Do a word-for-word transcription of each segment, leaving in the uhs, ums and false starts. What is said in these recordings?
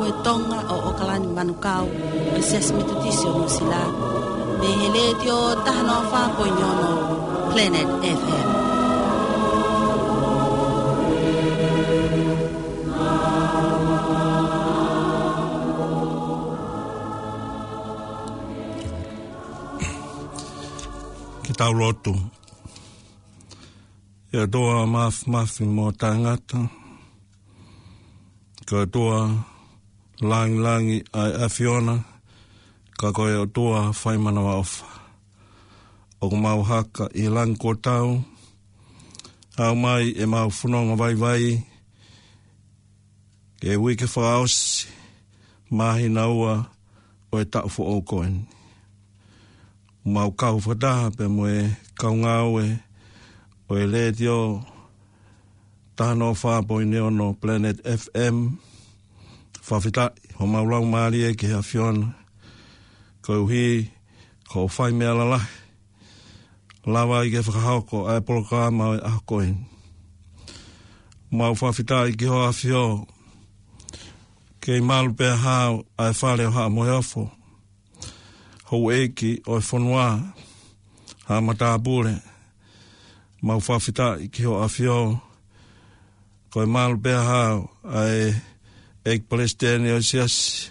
Ko e Tonga ʻo ʻOkalani Manukau, ʻo e Siasi Metotisi ʻo Nuʻusila, mei he Letiō taha noa fā poini ono Planet F M. Ke tau lotu. ʻE ʻOtua Māfimafi mo Taʻengata, ko e ʻOtua langilangi ʻa e ʻAfiona, ka ko e ʻOtua fai manavaʻofa. ʻOku mau haka ʻi langi kuo tau, ʻaumai ʻemau fononga vaivai, ki he uike fakaʻosi, māhina ua ʻo e taʻu foʻou ko eni. Mau kau fakataha pea mo e kau ngāue ʻo e Letiō taha noa fā poini ono Planet F M. Fakafetaʻi, homau laumālie ki he ʻAfiona. Koeʻuhi, ko hoʻo fai meʻa lalahi. Lava ai ke fakahoko ʻa e polokalama ʻo e ʻaho ko eni. Mau fakafetaʻi ki hoʻo ʻAfio, kei malu pea hao ʻa e fale ʻo Haʻa Moheofo. Houʻeiki ʻo e fonua, Haʻa Matāpule. Mau fakafetaʻi ki hoʻo ʻAfio, ko e malu pea hao ʻa e ʻEiki Palesiteni ʻo e Siasi,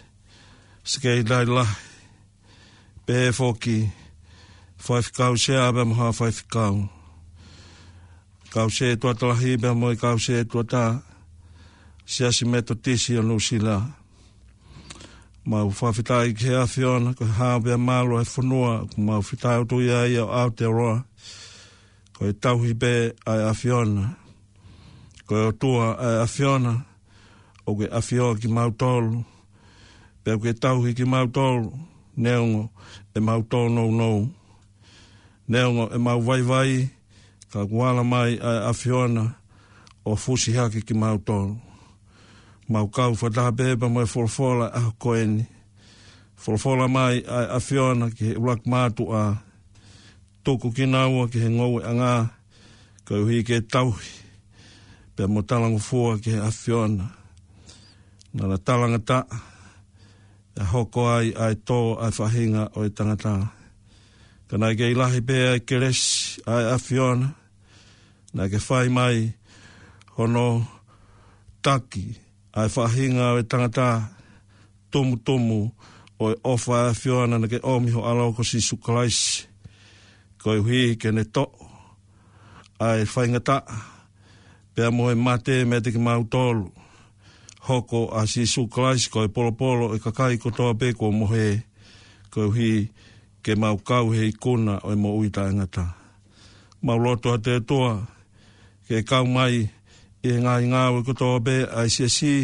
Sekelitali Lahi, pehē foki Faifekau Sea pea mo Haʻa Faifekau, Kau Sētuata Lahi pea mo e Kau Sētuata, Siasi Metotisi ʻo Nuʻusila. Mau fakafetaʻi ki he ʻAfiona, ko e hao pea malu ʻa e fonua, ʻoku mau fetaulaki ai ʻo Aotearoa, ko e tauhi pē ʻa e ʻAfiona. Ko e ʻOtua ʻa e ʻAfiona, ʻoku ke ʻafioʻi kimautolu, pea ʻoku ke tauhi kimautolu, neongo ʻemau tōnounou, neongo ʻemau vaivai, ka kuo ala mai ʻa e ʻAfiona ʻo fusi hake kimautolu. Mau kau fakataha pē pea mo e folofola ʻaho ko eni. Folofola mai ʻa e ʻAfiona ki he ʻuluaki mātuʻa, tuku kinaua ki he ngoueʻanga, koeʻuhi ke tauhi pea mo talangofua ki he ʻAfiona. Naʻa na talangataʻa, ʻe hoko ai ʻa e tō ʻa e faʻahinga ʻo e tangata. Ka naʻe kei lahi pē ʻa e kelesi ʻa e ʻAfiona, naʻa ke fai mai hono taki ʻa e faʻahinga ʻo e tangata, tumutumu ʻo e ʻofa ʻa e ʻAfiona naʻa ke ʻomi ho ʻAlo ko Sīsū Kalaisi, koeʻuhi ke ne toʻo ʻa e faingataʻa pea mo e mate meiate kimautolu. Hoko ʻa Sīsū Kalaisi ko e polopolo ʻo e kakai kotoa pē kuo mohe, koeʻuhi ke mau kau he ikuna ʻo e moʻui taʻengata. Mau lotu atu, ʻe ʻOtua, ke kau mai ʻi he ngaahi ngāue kotoa pē ʻa e Siasi,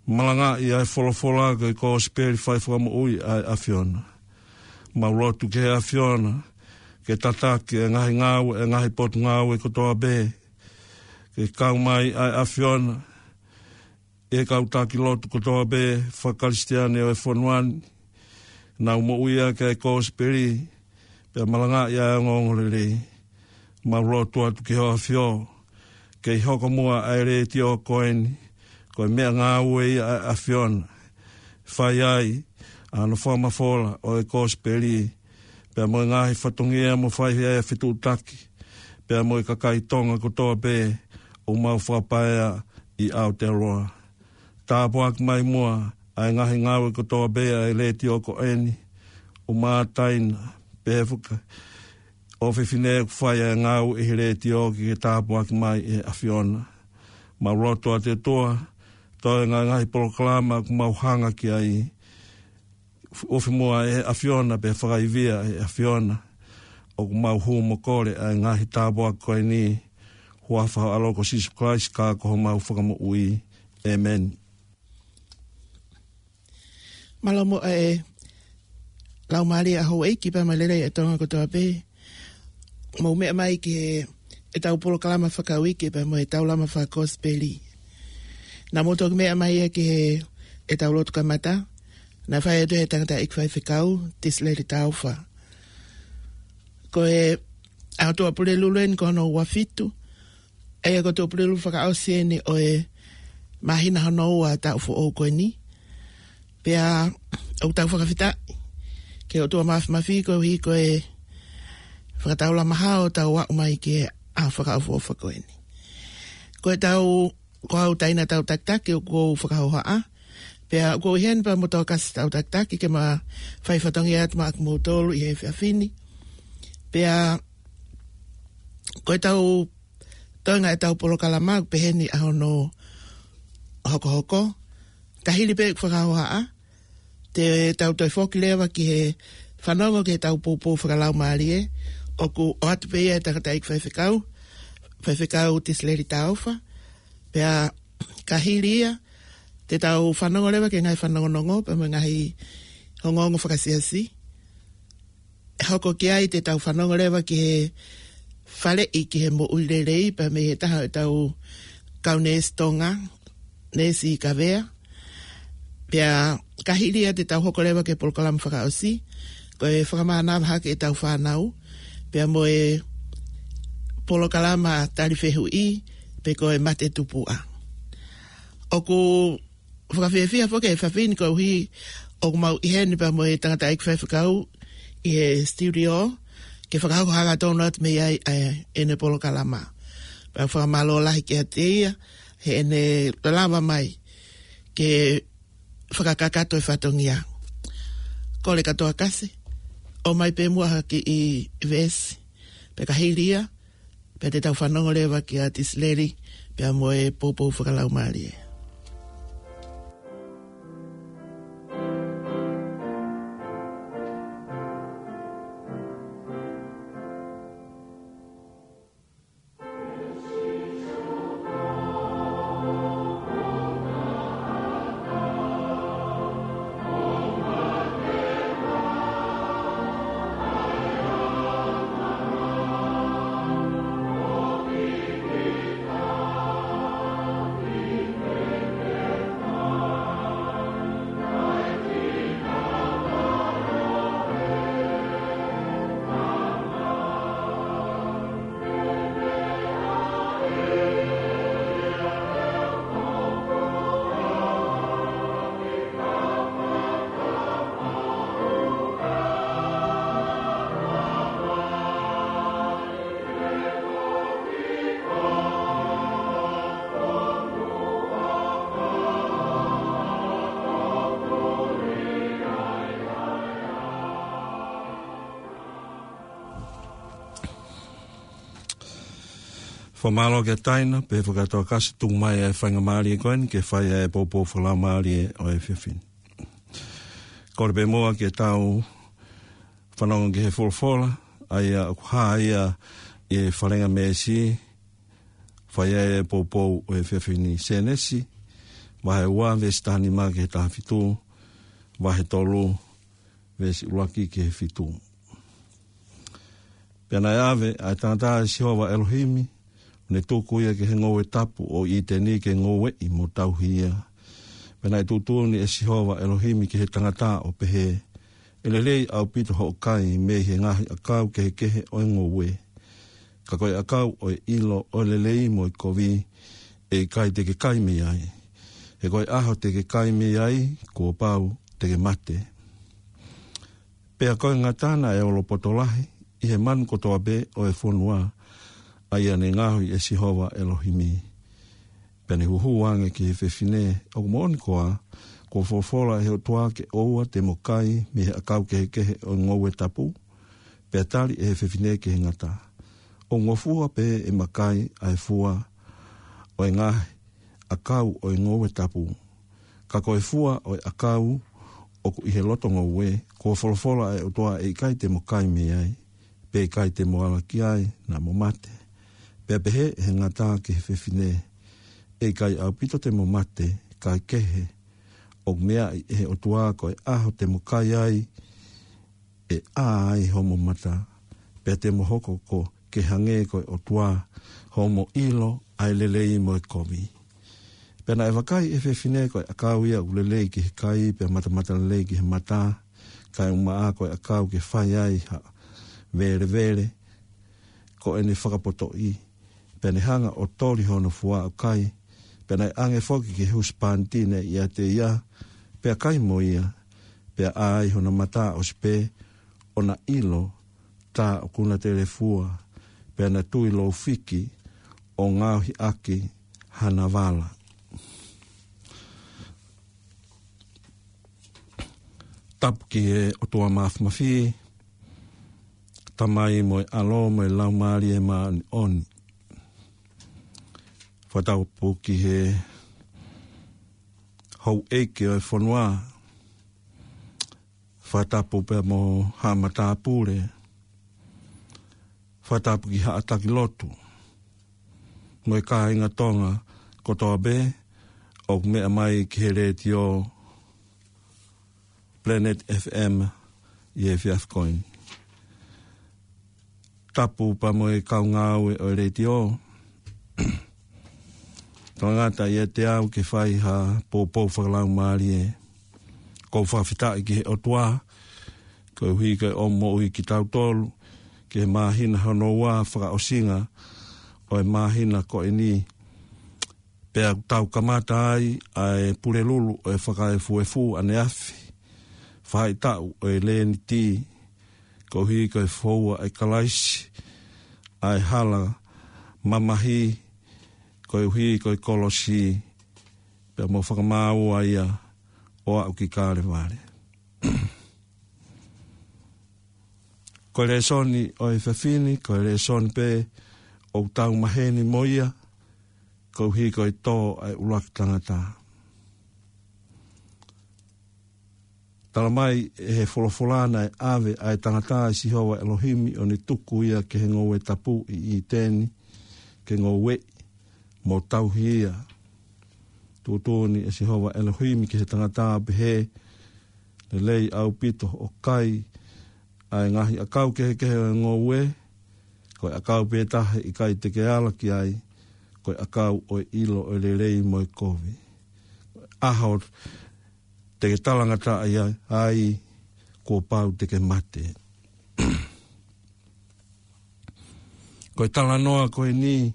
malangaʻi ʻa e folofola ko e kosipeli fai fakamoʻui ʻa e ʻAfiona. Mau lotu ki he ʻAfiona ke tataki ʻa e ngaahi ngāue, ʻa e ngaahi potungāue kotoa pē, ke kau mai ʻa e ʻAfiona ʻi he kau taki lotu kotoa pē faka-Kalisitiane ʻo e fonua ni, nau moʻui ʻaki ʻa e kosipeli, pea malangaʻi ʻa e ongoongolelei. Mau lotu atu ki hoʻo ʻAfio, kei hoko muʻa ʻa e letiō ko eni ko e meʻangāue ia ʻa e ʻAfiona, fai ai ʻa hono fakamafola ʻo e kosipeli, pea mo e ngaahi fatongia mo fai ai ʻa e fetuʻutaki pea mo e kakai Tonga kotoa pē ʻoku mau fakapaea ʻi Aotearoa. Tāpuaki mai muʻa ʻa e ngaahi ngāue kotoa pē ʻa e letiō ko eni, ʻumaʻā ʻa e taina, pehē foki ʻa e ʻofefine ʻoku fai ʻa e ngāue ʻi he letiō, ke ke tāpuaki mai ʻe he ʻAfiona. Mau lotu atu, ʻe ʻOtua, toe ngaahi, ngaahi polokalama ʻoku mau hanga ki ai, ʻofa muʻa ʻe he ʻAfiona pea fakaivia ʻe he ʻAfiona. ʻOku mau hū mo kole ʻa e ngaahi tāpuaki ko eni, huafa ho ʻAlo ko Sīsū Kalaisi ka ko homau Fakamoʻui. ʻĒmeni. Mālō muʻa e laumālie ʻa houʻeiki pea mo e lelei ʻa e Tonga kotoa pē. Mou meʻa mai ki he, ʻetau polokalama fakauike pea mo e taulama fakakosipeli. Naʻa mou toki meʻa mai ia ki he, ʻetau lotu kamata, naʻe fai atu ʻe he tangataʻeiki faifekau, Tisileli Taufa. Ko e ʻaho Tuʻapulelulu eni ko hono ua fitu, ʻa ia ko e Tuʻapulelulu fakaʻosi eni ʻo e māhina hono ua taʻu foʻou ko eni. Pea ʻoku tau fakafetaʻi ki he ʻOtua Mafimafi koeʻuhi ko e fakataulama hao ʻo tau aʻu mai ki he ʻaho fakaʻofoʻofa ko eni. Ko e tau, ko au Taina Tautakitaki ʻoku ou fakahohaʻa. Pea ʻoku ou ʻi heni pea mo Tokasi Tautakitaki ke ma fai fatongia atu maʻa kimoutolu ʻi he efiafi ni. Pea ko e tau toenga e tau polokalama ʻoku peheni ʻa hono hokohoko. Ka hili pē ʻeku fakahohaʻa, te tau toe foki leva ki he fanongo ki he tau poupou fakalaumālie, ʻoku ʻoatu pē ia ʻe he tangataʻeiki faifekau, Faifekau Tisileli Taufa. Pea ka hili ia, te tau fanongo leva ki he ngaahi fanongonongo, pea mo e ngaahi ongoongo fakasiasi. Hoko ki ai te tau fanongo leva ki he faleʻi ki he moʻui lelei, pea mei he taha ʻo e tau kau neesi Tonga, Neesi Kavea. Pea ka hili ia te tau hoko leva ki he polokalama fakaʻosi, ko e fakamānava hake e tau fānau, pea mo e polokalama tali fehuʻi, pe ko e mate tupuʻa. ʻOku fakafiefia foki e efiafi ni koeʻuhi ʻoku mau ʻi heni pea mo e tangataʻeiki faifekau ʻi he studio, ke fakahoko hangatonu atu mei ai ʻa ʻene polokalama. Pea fakamālō lahi kiate ia, heʻene lava mai ke fakakakato e fatongia. Kole kia Tokasi, ʻomai pē muʻa ha kiʻi veesi, pea ka hili ia, pea te tau fanongo leva kia Tisileli, pea mo e poupou fakalaumālie. Fakamālō kia Taina, pea fakatokasi tuku mai e faingamālie ko eni ke fai e poupou fakalaumālie ʻo e efiafi ni. Kole pē muʻa ke tau fanongo ki he folofola, ʻa ia ʻoku hā ia ʻi he falenga meesi, fai ai e poupou ʻo e efiafi ni, Sēnesi, vahe ua, veesi taha nima ki he taha fitu, vahe tolu, veesi ʻuluaki ki he fitu. Pea naʻe ʻave ʻa e tangata ʻe Sihova ʻElohimi, ʻo ne tuku ia ki he ngoue tapu ʻo ʻĪteni ke ngoueʻi mo tauhi ia. Pea naʻe tuʻutuʻuni ʻe Sihova ʻElohimi ki he tangata ʻo pehē, ʻE lelei ʻaupito hoʻo kai mei he ngaahi ʻakau kehekehe ʻo e ngoue. Ka ko e ʻakau ʻo e ʻilo ʻo e lelei mo e kovi, ʻe ʻikai te ke kai mei ai. He ko e ʻaho te ke kai mei ai, kuo pau te ke mate. Pea ko e ngata naʻe olopoto lahi ʻi he manu kotoa pē ʻo e fonua, ʻa ia ne ngaohi ʻe Sihova ʻElohimi. Pea ne huhū ange ki he fefine, ʻOku moʻoni koā, kuo folofola ʻe he ʻOtua ke ʻoua te mo kai mei he ʻakau kehekehe ʻo e ngoue tapu? Pea tali ʻe he fefine ki he ngata, ʻOku ngofua pē ʻema kai ʻa e fua ʻo e ngaahi ʻakau ʻo e ngoue tapu. Ka ko e fua ʻo e ʻakau ʻoku ʻi he loto ngoue, kuo folofola ʻe he ʻOtua ʻe ʻikai te mo kai mei ai, pe ʻikai te mo ala ki ai, naʻa mo mate. Pea pehē ʻe he ngata ki he fefine, ʻE ʻikai ʻaupito te mo mate, kae kehe, ʻoku meaʻi ʻe he ʻOtua ko e ʻaho te mo kai ai, ʻe ʻā ai homo mata, pea te mo hoko ko ke hangē ko e ʻOtua, homo ʻilo ʻa e lelei mo e kovi. Pea naʻe vakai ʻe he fefine ko e ʻakau ia ʻoku lelei ki he kai, pea matamata lelei ki he mata, kae ʻumaʻā ko e ʻakau ke fai ai ha velevele, ko ʻene fakapotoʻi. Pea ne hanga ʻo toli hono fua ʻo kai, Pea naʻe ʻange foki ki he husepāniti naʻe ʻiate ia, pea kai mo ia, pea ʻā ai hona mata ʻosi pē ʻo na ʻilo tā ʻoku na telefua, pea na tui lou fiki ʻo ngaohi ʻaki hana vala. Tapu ki he ʻOtua Mafimafi, Tamai mo e ʻAlo mo e Laumālie Māʻoniʻoni. Fakatapu ki he houʻeiki ʻo e fonua, fakatapu pea mo haʻa matāpule, fakatapu ki haʻa taki lotu, mo e kāinga Tonga kotoa pē ʻoku meʻa mai ki he letiō Planet F M ʻi he efiafi ko eni. Tapu pea mo e kau ngāue ʻo e letiō. Tangata ʻiate au ke fai ha poupou fakalaumālie. ʻOku ou fakafetaʻi ki he ʻOtua, koeʻuhi ko e ʻomi moʻui kitautolu ki he māhina hono ua fakaʻosinga ʻo e māhina ko eni. Pea ʻoku tau kamata ai ʻa e Pulelulu ʻo e Fakaefuefu ʻaneafi. Faʻahitaʻu ʻo e Leniti, koeʻuhi ko e foua ʻe Kalaisi ʻa e hala mamahi, koeʻuhi ko e kolosi, pea mo fakamāua ia ʻo aʻu ki Kalevale. Ko e lēsoni ʻo e efiafi ni, ko e lēsoni pē ʻoku tau maheni mo ia, koeʻuhi ko e tō ʻa e ʻuluaki tangata. Tala mai ʻe he folofola naʻe ʻave ʻa e tangata ʻe Sihova ʻElohimi ʻo ne tuku ia ki he ngoue tapu ʻi ʻĪteni, ke ngoueʻi mo tauhi ia. Tuʻutuʻuni ʻe Sihova ʻElohimi ki he tangata ʻo pehē, Lelei ʻaupito hoʻo kai ʻa e ngaahi ʻakau kehekehe ʻo e ngoue, ko e ʻakau pē taha ʻe ʻikai te ke ala ki ai, ko e ʻakau ʻo e ʻilo ʻo e lelei mo e kovi. Ko e ʻaho te ke talangataʻa ai, ai, kuo pau te ke mate. Ko e talanoa ko eni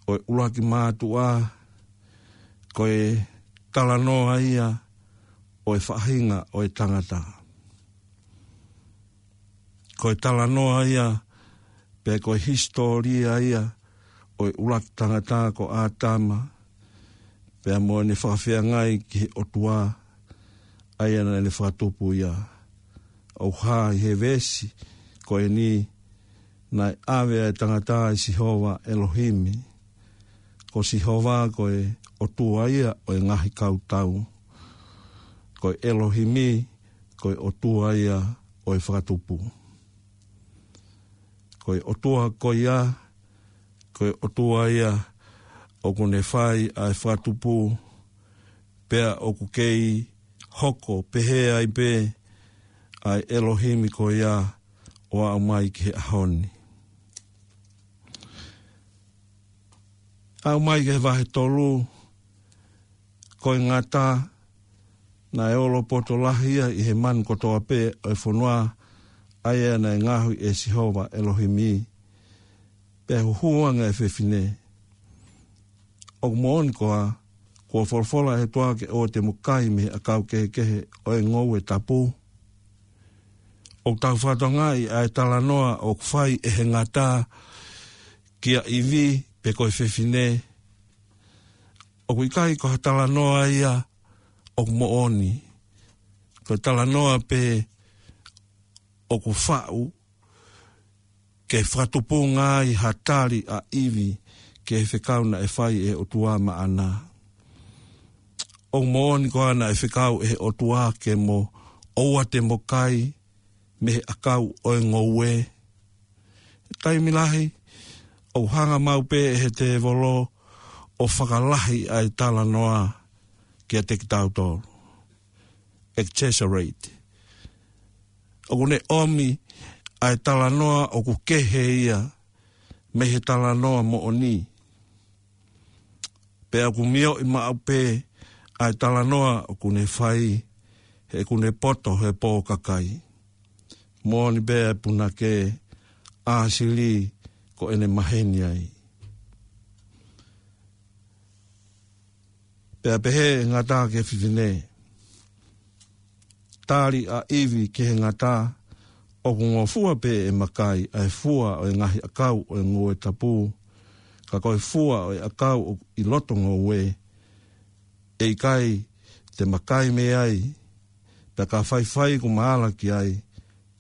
ʻo e ʻuluaki mātuʻa, ko e talanoa ia ʻo e faʻahinga ʻo e tangata. Ko e talanoa ia, pe ko e hisitōlia ia ʻo e ʻuluaki tangata ko ʻĀtama, pea mo ʻene fakafeangai ki he ʻOtua, ʻa ia naʻa ne fakatupu ia. ʻOku hā ʻi he veesi ko eni, naʻe ʻave ʻa e tangata ʻe Sihova ʻElohimi. Ko Sihova ko e ʻOtua ia ʻo e ngaahi kautau. Ko e ʻElohimi ko e ʻOtua ia ʻo e fakatupu. Ko e ʻOtua ko ia, ko e ʻOtua ia ʻoku ne fai ʻa e fakatupu, pea ʻoku kei hoko pehē ai pē ʻa e ʻElohimi ko ia ʻo aʻu mai ki he ʻaho ni. Aʻu mai ki he vahe tolu, ko e ngata naʻe olopoto lahi ia ʻi he manu kotoa pē ʻo e fonua, ʻa ia naʻe ngaohi ʻe Sihova ʻElohimi, pea huhu ange ʻa e fefine. ʻOku moʻoni koā, kuo folofola ʻe he ʻOtua ke ʻoua te mo kai mei he ʻakau kehekehe ʻo e ngoue tapu? ʻOku tau fakatokangaʻi ʻa e talanoa ʻoku fai ʻe he ngata kia ʻIvi pe ko e fefine. ʻOku ʻikai ko ha talanoa ia ʻoku moʻoni. Ko e talanoa pē ʻoku faʻu ke fakatupunga ai ha tali ʻa ʻIvi ki he fekau naʻe fai ʻe he ʻOtua maʻana. ʻOku moʻoni koā naʻe fekau ʻe he ʻOtua ke mo ʻoua te mo kai mei he ʻakau ʻo e ngoue? Taimi lahi, ʻoku hanga maʻu pē ʻe he tēvolo ʻo fakalahi ʻa e talanoa kiate kitautolu. Exaggerate. ʻOku ne ʻomi ʻa e talanoa ʻoku kehe ia mei he talanoa moʻoni. Pea ʻoku mioʻi maʻu pē ʻa e talanoa ʻoku ne fai, he ʻoku ne poto he pō kakai. Moʻoni pē ʻa e punake, ʻāsili ko ʻene maheni ai. Pea pehē ʻe he ngata ki he fefine. Tali ʻa ʻIvi ki he ngata, ʻOku ngofua pē ʻe makai ʻa e fua ʻo e ngaahi ʻakau ʻo e ngoue tapu, ka ko e fua ʻo e ʻakau ʻoku ʻi loto ngoue, ʻe ʻikai te makai mei ai, pea ka faifai kuo ma ala ki ai,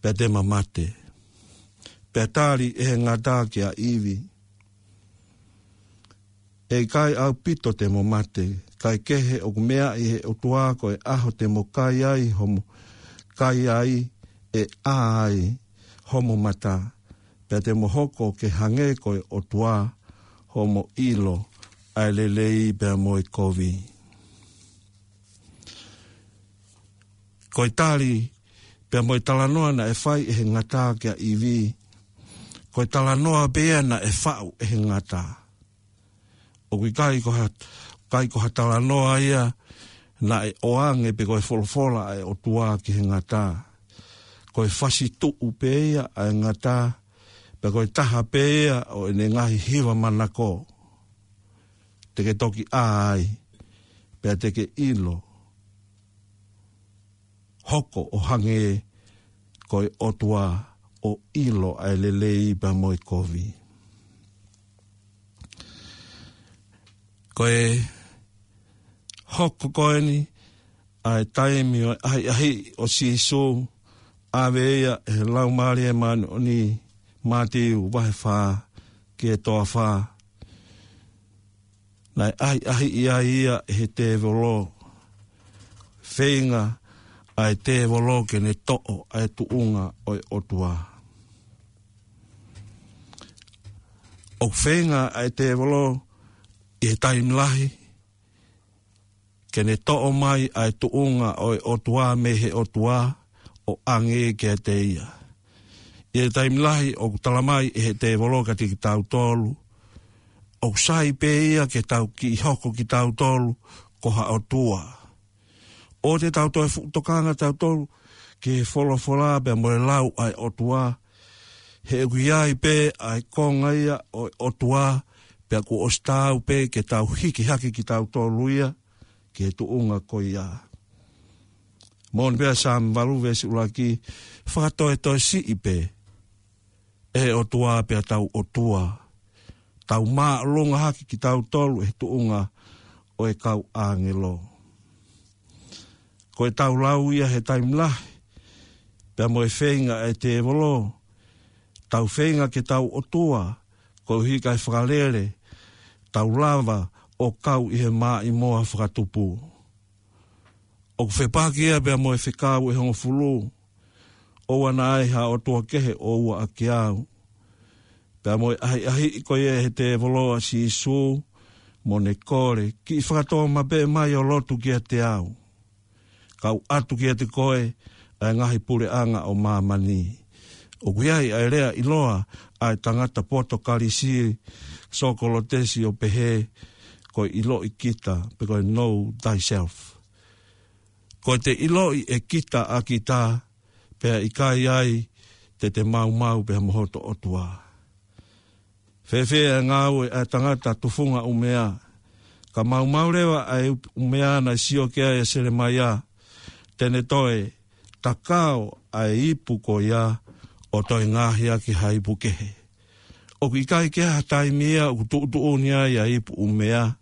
pea te ma mate. Pea tali ʻe he ngata kia ʻIvi, ʻE ʻikai ʻaupito te mo mate, kae kehe ʻoku meaʻi ʻe he ʻOtua ko e ʻaho te mo kai ai homo kai ai, ʻe ʻā ai homo mata, pea te mo hoko ke hangē ko e ʻOtua, homo ʻilo ʻa e lelei pea mo e kovi. Ko e tali pea mo e talanoa naʻe fai ʻe he ngata kia ʻIvi, ko e talanoa pē ia naʻe faʻu ʻe he ngata. ʻOku ʻikai ko ha, ʻikai ko ha talanoa ia naʻe ʻoange pe ko e folofola ʻa e ʻOtua ki he ngata. Ko e fasi tuʻu pē ia ʻa e ngata, pea ko e taha pē ia ʻo ʻene ngaahi hiva manako. Te ke toki ʻā ai, pea te ke ʻilo, hoko ʻo hangē ko e ʻOtua, ʻo ʻilo ʻa e lelei pea mo e kovi. Ko e hoko ko eni ʻa e taimi ʻo e ʻahiʻahiʻi ʻo Sīsū, ʻave ia ʻe he Laumālie Māʻoniʻoni, Mātiu vahe fā ki he toa fā. Naʻe ʻahiʻahiʻi ai ia ʻe he tēvolo. Feinga ʻa e tēvolo ke ne toʻo ʻa e tuʻunga ʻo e ʻOtua. ʻOku feinga ʻa e tēvolo ʻi he taimi lahi ke ne toʻo mai ʻa e tuʻunga ʻo e ʻOtua mei he ʻOtua ʻo ʻange kiate ia. ʻI he taimi lahi ʻoku tala mai ʻe he tēvolo kiate kitautolu, ʻoku sai pē ia ke tau kiʻi hoko kitautolu ko ha ʻotua. ʻOua te tau toe fuʻu tokanga tautolu ki he folofola pea mo e lau ʻa e ʻOtua, he ʻoku ʻi ai pē ʻa e konga ia ʻo e ʻOtua, pea kuo ʻosi taau pē ke tau hiki hake kitautolu ia ki he tuʻunga ko ia. Moʻoni pē ʻa Saame valu veesi ʻuluaki, fakatoetoesiʻi pē ʻe he ʻOtua pea tau ʻotua. Tau māʻolunga hake kitautolu ʻi he tuʻunga ʻo e kau ʻāngelo. Ko e tau lau ia he taimi lahi, pea mo e feinga ʻa e tēvolo, tau feinga ke tau ʻotua, koeʻuhi kae fakalele, tau lava ʻo kau ʻi he maʻimoa fakatupu. ʻOku fepaki ia pea mo e fekau ʻe hongofulu, ʻOua naʻa ai ha ʻotua kehe ʻo ua ʻaki au. Pea mo e ʻahiʻahiʻi ko ia ʻe he tēvolo ʻa Sīsū, mo ne kole, kiʻi fakatōmapeʻe mai ʻo lotu kiate au. Kau ʻatu kiate koe ʻa e ngaahi puleʻanga ʻo māmani. ʻOku ʻi ai ʻa e lea ʻiloa ʻa e tangata Potokalisi, Sokolotesi, ʻo pehē, ko e ʻiloʻi kita, pe ko e know thyself. Ko e te ʻiloʻi ʻe kita ʻa kita, pea ʻikai ai te te maumau pea mo hoto ʻOtua. Fēfē ʻa e ngāue ʻa e tangata tufunga ʻumea? Ka maumau leva ʻa e ʻumea naʻe sio ki ai ʻa Selemaia, te ne toe takao ʻa e ipu ko ia ʻo toe ngaohi ʻaki ha ipu kehe. ʻOku ʻikai ke ʻi ai ha taimi ia ʻoku tuʻutuʻuni ai ʻa e ipu ʻumea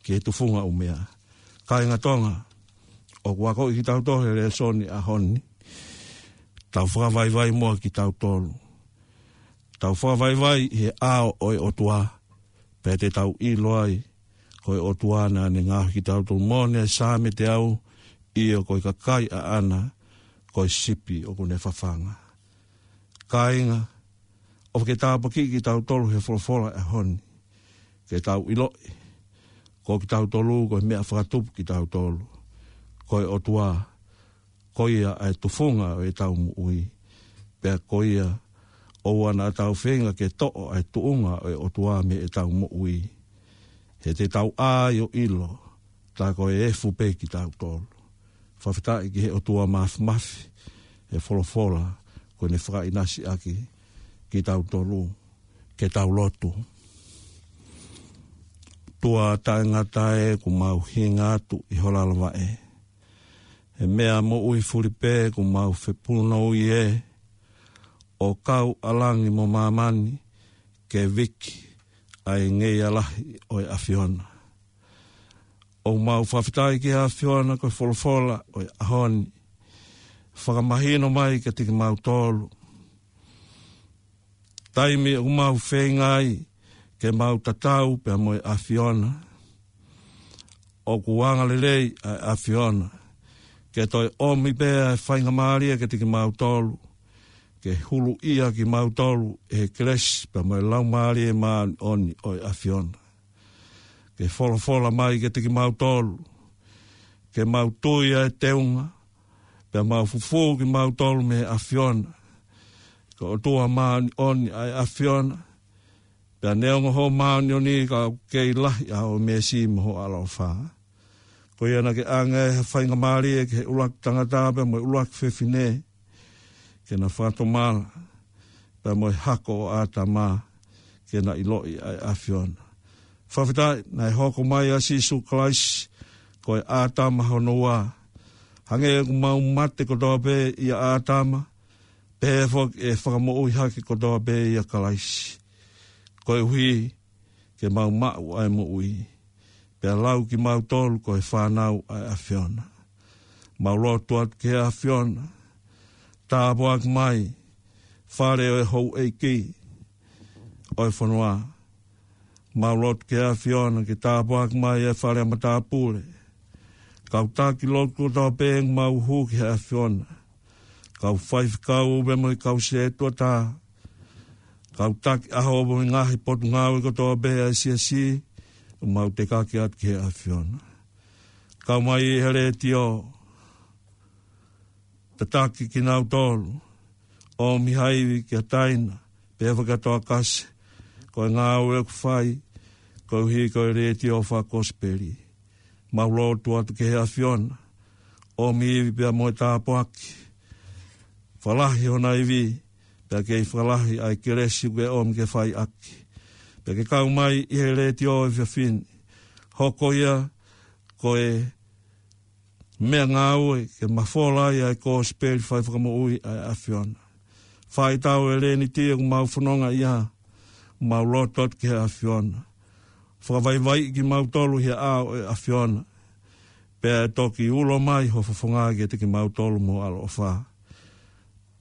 ki he tufunga ʻumea. Kāinga Tonga, ʻoku akoʻi kitautolu he lēsoni ʻaho ni, tau fakavaivai muʻa kitautolu. Tau fakavaivai he ʻao ʻo e ʻOtua, pea te tau ʻilo ai, ko e ʻOtua naʻa ne ngaohi kitautolu. Moʻoni ʻa e Saame teau, ʻio ko e kakai ʻaʻana, ko e sipi ʻoku ne fafanga. Kāinga, ʻofa ke tāpuakiʻi kitautolu he folofola ʻaho ni, ke tau ʻiloʻi, ko kitautolu, ko e meʻa fakatupu kitautolu, ko e ʻOtua, ko ia ʻa e tufunga ʻo e tau moʻui, pea ko ia ʻoua naʻa tau feinga ke toʻo ʻa e tuʻunga ʻo e ʻOtua mei he tau moʻui. He te tau ʻā ai ʻo ʻilo, tā ko e efu pē kitautolu. Fakafetaʻi ki he ʻOtua Māfimafi, he folofola, ko ʻene fakaʻinasi ʻaki kitautolu, ke tau lotu. ʻOtua taʻengata ē, ʻoku mau hinga atu ʻi ho lalo vaʻe. He meʻa moʻui fuli pē ʻoku mau fepunou ʻi he ʻo kau ʻa langi mo māmani ke viki ʻa e ngeia lahi ʻo e ʻAfiona. ʻOku mau fakafetaʻi ki he ʻAfiona ko e folofola ʻo e ʻaho ni. Fakamahino mai kiate kimautolu taimi ʻoku mau feinga ai ke mau tatau pea mo e ʻAfiona. ʻOku angalelei ʻa e ʻAfiona ke toe ʻomi pē ʻa e faingamālie kiate kimautolu, ke huluʻia kimautolu ʻe he kelesi pea mo e Laumālie Māʻoniʻoni ʻo e ʻAfiona. Ke folofola mai kiate kimautolu, ke mau tui ʻa e teunga, pea mau fufū kimautolu mei he ʻAfiona. Ko e ʻOtua māʻoniʻoni ʻa e ʻAfiona, pea neongo hoʻo māʻoniʻoni ka ʻoku kei lahi ʻa hoʻo meesi mo hoʻo ʻaloʻofa. Ko ia naʻa ke ʻange ha faingamālie ki he ʻuluaki tangata pea mo e ʻuluaki fefine, ke na fakatomala pea mo e hako ʻo ʻĀtama, ke na ʻiloʻi ʻa e ʻAfiona. Fakafetaʻi naʻe hoko mai ʻa Sīsū Kalaisi ko e ʻĀtama hono ua. Hangē ʻoku mau mate kotoa pē ʻia ʻĀtama, pehē foki ʻe fakamoʻui hake kotoa pē ʻia Kalaisi, koeʻuhi ke mau maʻu ʻa e moʻui, pea lau kimautolu ko e fānau ʻa e ʻAfiona. Mau lotu atu ki he ʻAfiona, tāpuaki mai fale ʻo e houʻeiki ʻo e fonua. Mau lotu ki he ʻAfiona ke tāpuaki mai e fale ʻa matāpule, kau taki lotu kotoa pē ʻoku mau hū ki he ʻAfiona, kau faifekau pea mo e kau sētuata, kau taki ʻaho pea mo e ngaahi potungāue kotoa pē ʻa e siasi, ʻoku mau tekaki atu ki he ʻAfiona. Kau mai ʻi he letiō, tataki kinautolu, ʻomi ha ivi kia Taina, pea fakatoa kasi, ko e ngāue ʻoku fai, koeʻuhi ko e letiō fakakosipeli. Mau lotu atu ki he ʻAfiona, ʻomi ivi pea mo e tāpuaki, fakalahi hona ivi, pea kei fakalahi ʻa e kelesi ʻoku ke ʻomi ke fai ʻaki. Pea ke kau mai ʻi he letiō ʻo e efiafi ni, hoko ia ko e meʻangāue ke mafola ai ʻa e kosipeli fai fakamoʻui ʻa e ʻAfiona. Fai tau e lēniti ʻoku mau fononga ʻia, mau lotu atu ki he ʻAfiona. Fakavaivaiʻi kimautolu ʻi he ʻao ʻo e ʻAfiona, pea ʻe toki ulo mai ho fofonga kiate kimautolu mo ho ʻaloʻofa.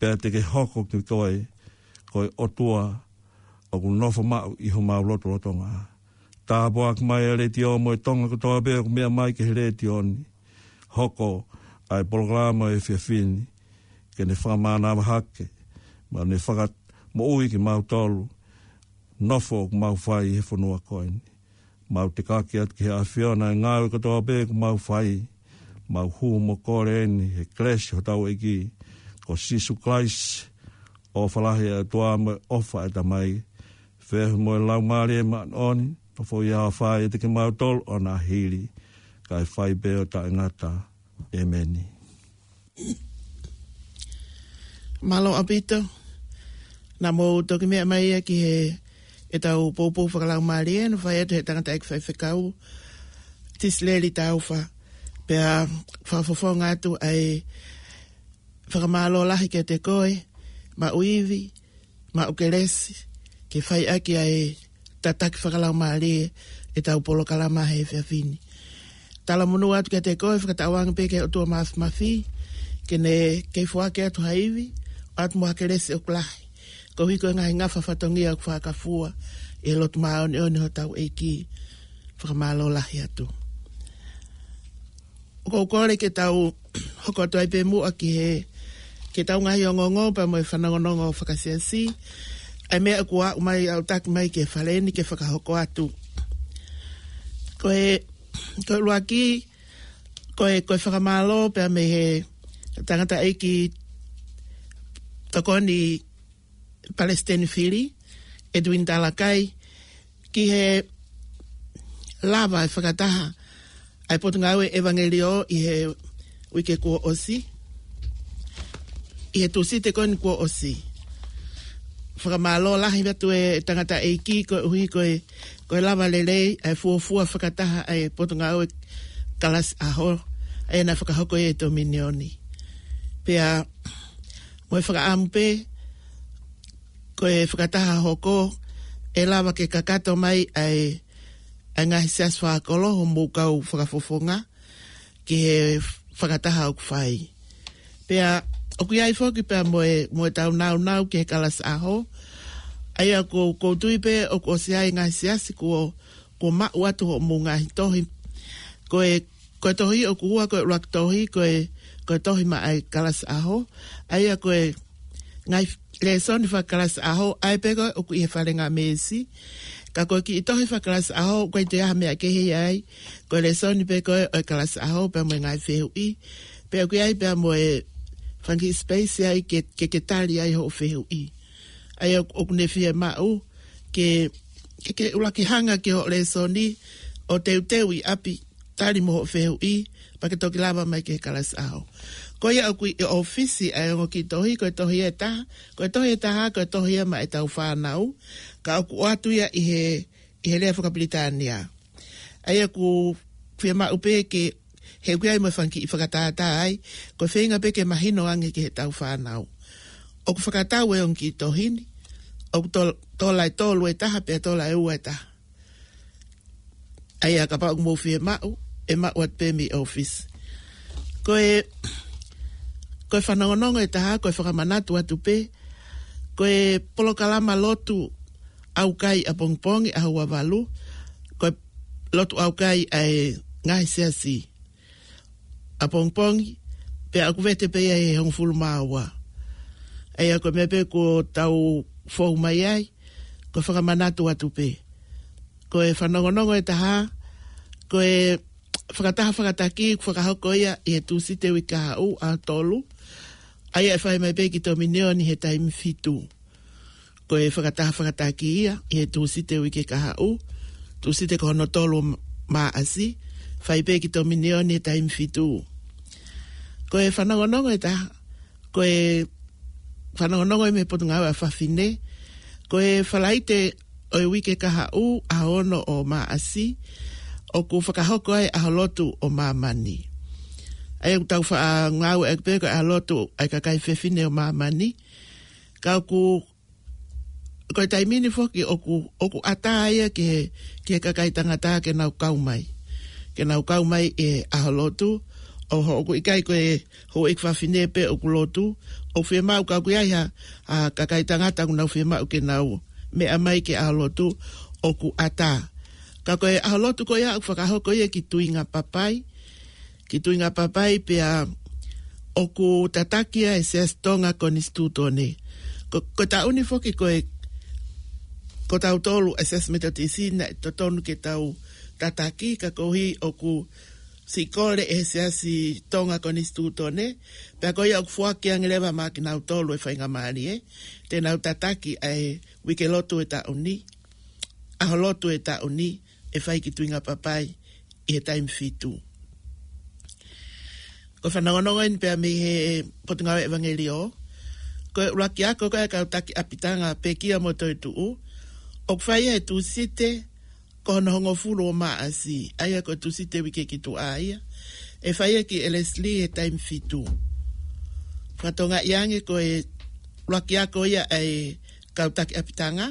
Pea te ke hoko ki koe, ko e ʻOtua ʻoku nofo maʻu ʻi homau lotolotonga. Tāpuaki mai e letiō mo e Tonga kotoa pē ʻoku meʻa mai ki he letiō ni. Hoko ʻa e polokalama ʻo e efiafi ni ke ne fakamānava hake, mo ne fakamoʻui kimautolu, nofo ʻoku mau fai he fonua ko eni. Mau tekaki atu ki he ʻAfiona e ngāue kotoa pē ʻoku mau fai, mau hū mo kole eni he kelesi hotau ʻEiki ko Sīsū Kalaisi, ʻofa lahi ʻa e ʻOtua mo e ʻofa ʻa e Tamai, feohi mo e Laumālie Māʻoniʻoni, nofoʻia ʻo fai ʻiate kimautolu ʻo na hili, kae fai pē ʻo taʻengata. ʻEmeni. Mālō ʻaupito. Naʻa mou toki meʻa mai ia ki he ʻetau poupou fakalaumālie naʻe fai atu he tangataʻeiki faifekau, Tisileli Taufa. Pea fakafofonga atu ʻa e fakamālō lahi kiate koe, maʻu ivi, maʻu kelesi, ke fai ʻaki ʻa e tataki fakalaumālie ʻetau polokalama he efiafi ni. Talamonū atu kiate koe, fakatauange pē ki he ʻOtua Māfimafi, ke ne kei foaki atu ha ivi, ʻoatu mo ha kelesi ʻoku lahi, koeʻuhi ko e ngaahi ngafa fatongia ʻoku fakafua ʻi he lotu māʻoniʻoni hotau ʻEiki. Fakamālō lahi atu. ʻOku ou kole ke tau hoko atu ai pē muʻa ki he, ki heʻetau ngaahi ongoongo pea mo e fanongonongo fakasiasi, ʻa e meʻa ʻoku aʻu mai, aʻutaki mai ki he fale ni ke fakahoko atu. Ko e, ko e ʻuluaki, ko e, ko e fakamālō pea mei he tangataʻeiki tokoni Palesiteni Fili, Edwin Talakai, ki he lava e fakataha ʻa e Potungāue ʻEvangeliō ʻi he uike kuo ʻosi, ʻi he Tūsite ko eni kuo ʻosi. fakamālō lahi atu e tangataʻeiki koeʻuhi ko e, ko e lava lelei ʻa e fuofua fakataha ʻa e Potungāue Kalasi ʻAho, ʻa ia naʻe fakahoko ʻi he Tominioni. Pea mo e fakaʻamu pē, ko e fakataha hoko, ʻe lava ke kakato mai ʻa e, ʻa e ngaahi siasi fakakolo hoʻomou kau fakafofonga, ki he fakataha ʻoku fai. Pea, ʻoku ʻi ai foki pea mo e, mo ʻetau nāunau ki he Kalasi ʻAho. ʻA ia ʻoku, ʻoku ou tui pē ʻoku ʻosi ʻi ai e ngaahi siasi kuo, kuo maʻu atu hoʻomou ngaahi tohi. Ko e, ko e tohi ʻoku ua, ko e ʻuluaki tohi, ko e, ko e tohi maʻa e Kalasi ʻAho. ʻA ia ko e ngaahi lēsoni fakakalasi ʻaho, ʻa ia pē ko ē ʻoku ʻi he falengamēsi. Ka ko e kiʻi tohi fakakalasi ʻaho, ʻoku ʻikai toe ʻi ai ha meʻa kehe ai, ko e lēsoni pē ko ē ʻo e kalasi ʻaho, pea mo e ngaahi fehuʻi. Pea ʻoku ʻi ai pea mo e fanga kiʻi space ai ke, ke, ke tali ai hoʻo fehuʻi. ʻA ia ʻoku, ʻoku ne fiemaʻu ke, ke, ke ʻuluaki hanga ki hoʻo lēsoni ʻo teuteu ʻi ʻapi, tali mo hoʻo fehuʻi, pea ke toki lava mai ki he kalasi ʻaho. Ko ia ʻoku ʻi ʻōfisi ʻa e ongo kiʻi tohi, ko e tohi ʻe taha, ko e tohi ʻe taha, ko e tohi ia maʻa ʻetau fānau, ka ʻoku ʻoatu ia ʻi he, ʻi he lea fakapilitānia. ʻA ia ʻoku fiemaʻu pē ke, he ʻoku ʻi ai mo e fanga kiʻi fakatātā ai, ko e feinga pē ke mahino ange ki heʻetau fānau. ʻOku fakatau e ongo kiʻi tohi ni, ʻoku tol-, tola ʻe tolu ʻe taha, pea tola ʻe ua ʻe taha. ʻA ia kapau ʻoku mou fiemaʻu, ʻe maʻu atu pē mei ʻōfisi. Ko e, ko e fanongonongo ʻe taha, ko e fakamanatu atu pē, ko e polokalama lotu ʻaukai ʻapongipongi ʻaho ua valu, ko e lotu ʻaukai ʻa e ngaahi siasi ʻapongipongi, pea ʻoku vete pē ia he hongofulu mā ua. ʻA ia ko e meʻa pē kuo tau fou mai ai, ko e fakamanatu atu pē. Ko e fanongonongo ʻe taha, ko e fakataha fakataki, ʻoku fakahoko ia ʻi he Tūsite uike kahaʻu ʻaho tolu, ʻa ia ʻe fai mai pē ki Tominioni he taimi fitu. Ko e fakataha fakataki ia, ʻi he Tūsite uike kahaʻu, Tūsite ko hono tolu ʻo Mā-, Māʻasi, fai pē ki Tominioni he taimi fitu. Ko e fanongonongo ʻe taha, ko e fanongonongo ia mei he Potungāue ʻa Fafine, ko e Falaite ʻo e uike kahaʻu, ʻaho ono ʻo Māʻasi, ʻoku fakahoko ai ʻaho lotu ʻo māmani. ʻA ia ʻoku tau faʻa ngāueʻaki pē ko e ʻaho lotu ʻa e kakai fefine ʻo māmani, ka ʻoku, ko e taimi ni foki ʻoku, ʻoku ʻatā ia ki he, ki he kakai tangata ke nau kau mai. Ke nau kau mai he ʻaho lotu, ʻo ho-, ʻoku ʻikai ko e houʻeiki fafine pē ʻoku lotu, ʻoku fiemaʻu ka ʻoku ʻi ai ha, ha kakai tangata ʻoku nau fiemaʻu ke nau meʻa mai ki he ʻaho lotu, ʻoku ʻatā. Ka ko e ʻaho lotu ko ia ʻoku fakahoko ia ki Tuingapapai, ki Tuingapapai pea ʻoku tataki ia ʻe he Siasi Tonga Konisitūtone. Ko, ko e taʻu ni foki ko e, ko tautolu ʻa e Siasi Metotisi naʻe totonu ke tau tataki, ka koeʻuhi ʻoku siʻi kole ʻe he Siasi Tonga Konisitūtone, pea ko ia ʻoku foaki ange leva maʻa kinautolu e faingamālie, te nau tataki ʻa e uike lotu ʻo e taʻu ni, ʻaho lotu ʻo e taʻu ni, ʻe fai ki Tuingapapai ʻi he taimi fitu. Ko e fanongonongo eni pea mei he Potungāue ʻEvangeliō, ko e ʻuluaki ako ko ē ʻa e kau taki ʻapitanga pekia mo toetuʻu, ʻoku fai ia he Tūsite ko hono hongofulu ʻo Māʻasi, ʻa ia ko e Tūsite uike ki tuʻa ia, ʻe fai ia ki Elesili he taimi fitu. Fakatokangaʻi ange ko e ʻuluaki ako ia ʻa e kau taki ʻapitanga,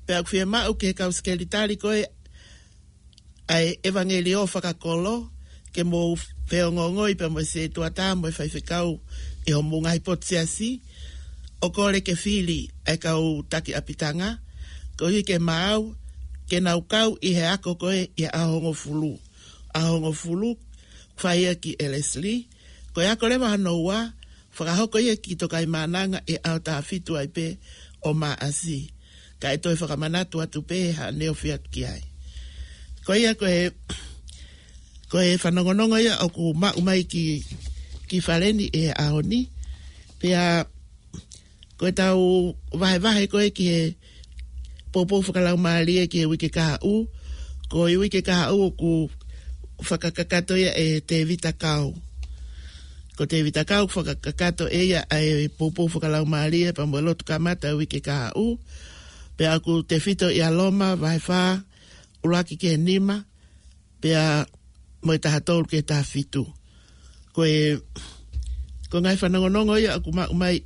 pea ʻoku fiemaʻu ki he kau sekelitali ko ē ʻa e ʻEvangeliō fakakolo, ke mou feongoongoi pea mo e setuata mo e faifekau ʻi hoʻomou ngaahi potu siasi, ʻo kole ke fili ʻa e kau taki ʻapitanga, koeʻuhi ke maau, ke nau kau ʻi he ako ko ē ʻi he ʻaho hongofulu. ʻAho hongofulu, fai ia ki Elesili, ko e ako leva hono ua, fakahoko ia ki Tokaimaʻananga ʻi he ʻaho taha fitu ai pē ʻo Māʻasi. Ka ʻe toe fakamanatu atu pē haʻane ofi atu ki ai. Ko ia ko e, ko e fanongonongo ia ʻoku maʻu mai ki, ki fale ni he ʻaho ni. Pea ko ʻetau vahevahe ko ē ki he poupou fakalaumālie ki he uike kahaʻu, ko e uike kahaʻu ʻoku fakakakato ia ʻe Tēvita Kao. Ko Tēvita Kau, fakakakato ʻe ia ʻa e poupou fakalaumālie pea mo e lotu kamata ʻo e uike kahaʻu. Pea ʻoku tefito ia Loma, vahe fā, ʻuluaki ki he nima, pea mo e taha tolu ki he taha fitu. Ko e, ko e ngaahi fanongonongo ia ʻoku maʻu mai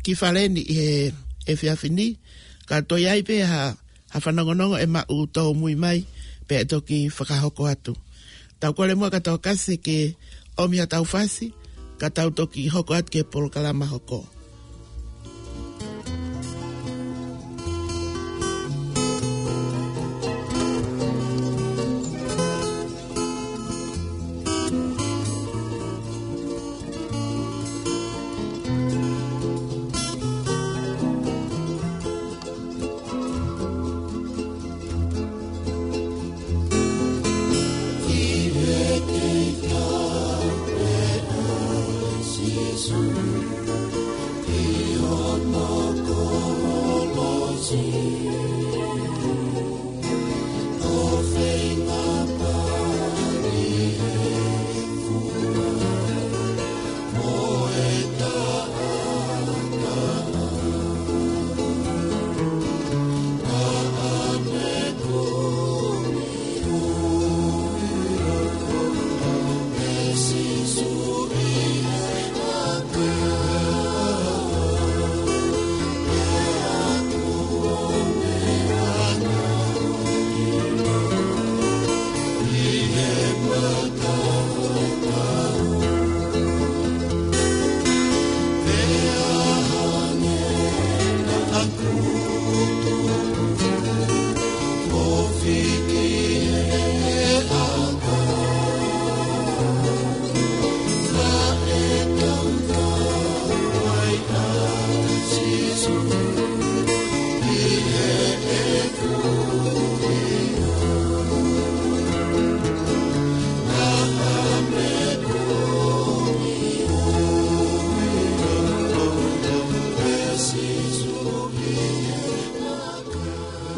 ki fale ni ʻi he efiafi ni, ka toe ʻi ai pē ha, ha fanongonongo ʻe maʻu tōmui mai, pea ʻe toki fakahoko atu. Tau kole muʻa kia Tokasi ke ʻomi ha tau fasi, ka tau toki hoko atu ki he polokalama hoko.